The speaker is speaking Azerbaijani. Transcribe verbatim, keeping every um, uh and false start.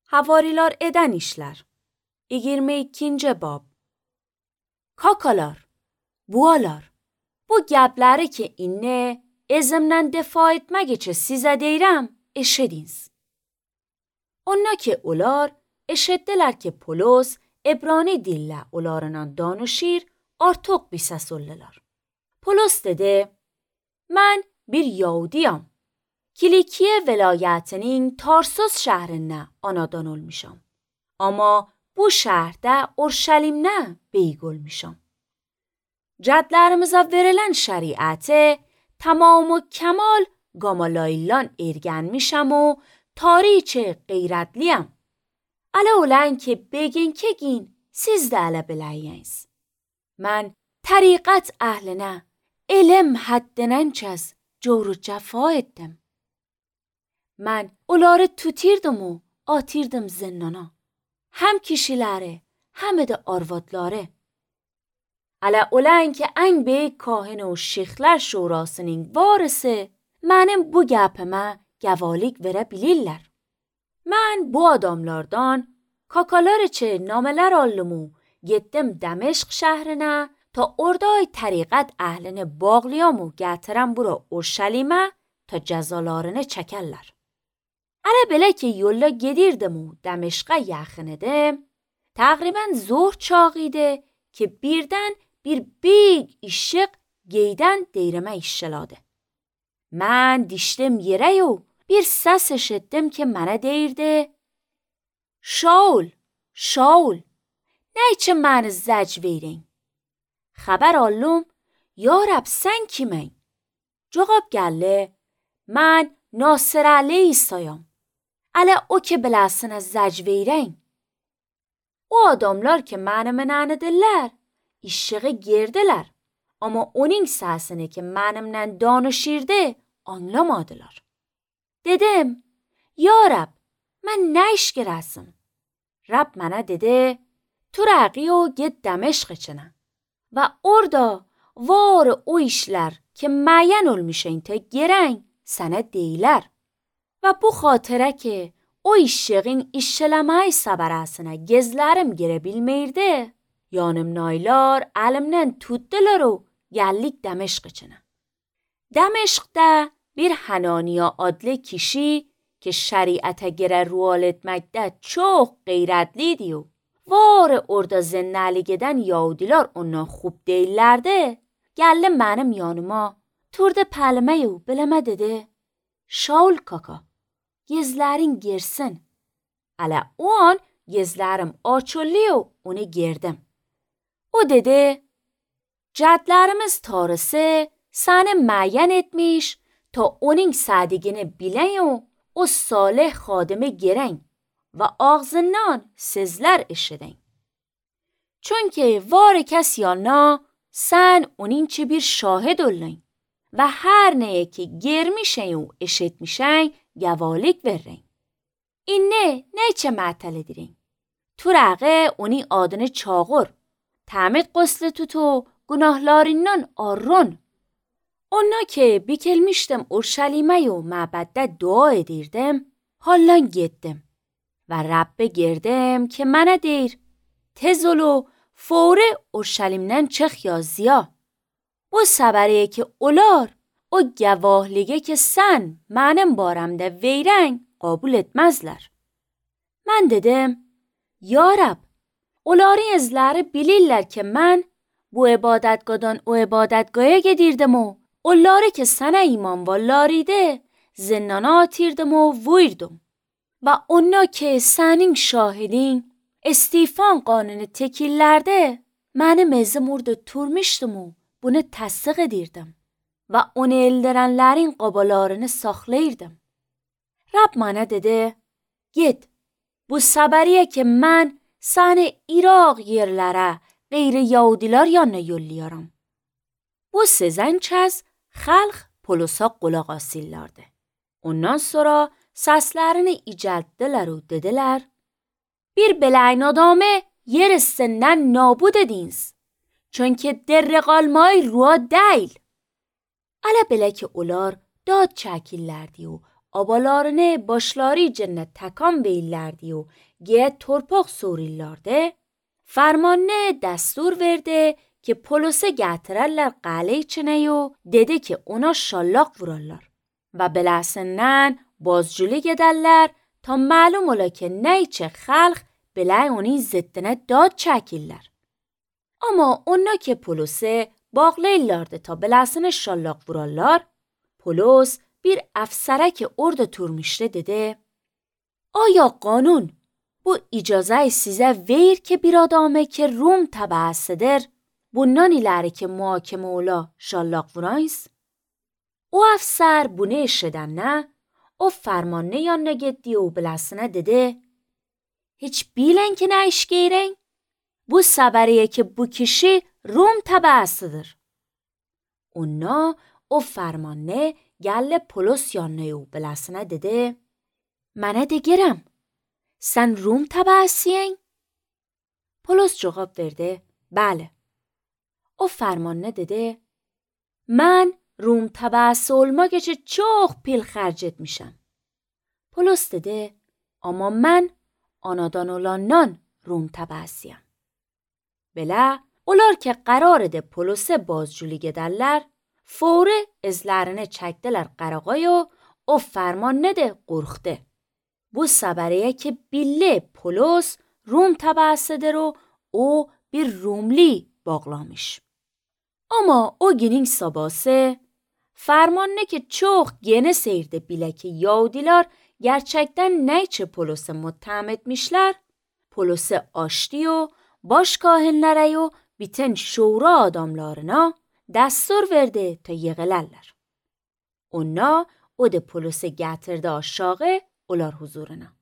havarilar eden işler. yirmi ikinci bab. Kakalar, bualar, bu gəbləri ki, inni ezimdən defa etmək üçün sizə deyirəm, eşidiniz. Onlar ki, onlar eşitdilər ki, Polos Ebrani dillə onlarla danışır, artıq bir səs oldular. Polos dedi, mən bir Yahudiyam. Kilikiye velayətinin Tarsus şəhərində anadan olmuşam. Amma bu şəhərdə Urşəlimdə beyg olmuşam. Cədlərimizə verilən şəriəti tamam و کمال Qamalaylan ergənmişəm و tariç qeyrətliyəm. Ələ olan ki, begin ki gin, siz də ələ biləyəniz. Mən təriqət əhlinə elm həddindən kəz cevr cəfa etdim. Mən onları tutirdim و atırdım zindana. Hem kişiləri, hem də arvadları. Ələ olan ki, ən böyük kahin و şeyxlər şurasının varisi mənim bu gəpimə gəvalik verə bilirlər. Mən bu adamlardan kakalar için namələr aldım و getdim Dəməşq şəhrinə ta oradای təriqət əhlini bağlayam و gətirəm bura Urşəlimə ta cəzalarını çəkərlər. Ələ belə ki, yolla gedirdim و Dəməşqə yaxın idim, təqribən zor çağı idi ki, birdən bir big işıq geydən deyrəmə işlədi. Mən dişdim yerə و bir səs eşitdim ki, mənə deyirdi, Şaul, Şaul, nə üçün məni zəc verin? Xəbər aldım, ya Rəb, sən kimən? Cavab gəldi, mən Nasir Əli İsa'yam. Ələ o ki biləsinə zəc verin. O adamlar ki məni mənənidirlər, işığı girdilər. Amma onun səsini ki mənimlə danışırdı, anlamadılar. Dedim, ya Rəb, mən nə iş girəsim? Rəb mənə dedi, turaqi o get Dəməşq içinə. Və orada var o işlər ki müəyyən olmuşun ta girən sənə deyilər. Və bu xatirə ki o işığın işləməyi səbərəsinə gezlərim girə bilməyirdi, yanım naylar əlimdən tutdular o gəllik Dəməşq içinə. Dəməşqdə bir Hananiya adlı kişi ki şریعت girə rual etməkdə çox qeyrətliydi و var orada zindəli gedən Yahudilar ondan خوب deyillərdi, gəldi mənim yanıma, turdu pəlməyi و biləmə dedi, Şaul kaka, gezlərin girsin. Ələ o an gezlərim açıldı و onu girdim. O dedi, cədlərimiz tarisi səni müəyyən etmiş ta onun sədiyini bilən و o salih xadimi girən və ağzından sizlər eşidin. Çünki var kəs yana sən onun ki bir şahid olun və hər nəyə ki girmişən و eşitmişən gəvalik verin. İnne nə içə mətəl edirin? Turaqı onun adını çağır, təmid qoslu tutu günahlarından arrun. Ona ki bikilmişdim Urşəlimə و məbəddə dua edirdim, hallan getdim və Rəbbə girdim ki mənə deyir, tez ol و fori Urşəlimdən çıx ya ziya. Bu səbəriyə ki olar, o gəvahliyə ki sən mənim barəmdə veyrən qəbul etməzlər. Mən dedim, ya Rəbb, onların izləri bilirlər ki mən bu ibadətqadan o ibadətqaya gedirdim و onları ki sənə iman vallarıydı, zindana atırdım و vurdım. Və onlar ki sənin şahidin, İstifan qanunu tekillərdə mənim izim orada turmuşdum و bunu təsdiq edirdim. Və onu eldirənlərin qabalarını saxlayırdım. Rəbb mənə dedi, get, bu səbəriyə ki mən səni İraq yerlərə qeyri Yahudilar yanına yolluyorum. Bu sizən kəz xalq Polosa qulaq asırlardı. Ondan sonra səslərini icəltdilər و dedilər, bir beləyin adamı yer üstündən nabud ediniz. Çünki der qalmayı rua deyil. Ələ belə ki onlar dad çəkirlərdi و abalarını başları cennet tekan beyillerdi و گه torpaq sorillardı. Fermanne destur verdi ki polise getirerler qale içine و dedi ki ona şallaq vurarlar و beləsindən bazculi gederler ta malum ola ki neyçe xalq belay oni ziddine dad çəkirlər. Ama ona ki polise bağlayırlardı ta beləsini şallaq vurarlar, polis bir افسرک orada turmuştu dedi: آیا قانون bu icazə sizə verir ki bir adamı ki Rum təbəəsidir, bundan iləri ki muhakimə ola şallaq vurayız? O əfsər bunu eşidəndə o fərmanını yanına getdi o biləsinə dedi: Heç bilən ki nə iş geyrən? Bu səbəriyə ki bu kişi Rum təbəəsidir. Ona o fərmanını gələ polis yanına o biləsinə dedi: Mənə degirəm, sən Rum təbəəsiyin? Polis cavab verdi: Bəli. O fərmanını dedi: Mən Rum təbəəsi olmaq üçün çox pil xərc etmişəm. Polis dedi: Amma mən anadan olandan Rum təbəəsiyəm. Belə, onlar ki qərar edə polisə bazculi gedərlər, fori izlərini çəkdilər qarağaya o fərmanını də qorxdu. Bu səbəriyə ki billi polis Rum təbəəsidir و o bir Rumli bağlamış. Ama o günün sabahı fermanını ki çok gene seyirde bile ki Yahudiler gerçekten neyçe polisi mutteham etmişler, polisi açtı و baş kahinlere و bütün şura adamlarına destur verdi ta yığılarlar. Ona o de polisi getirdi aşağı olar huzuruna.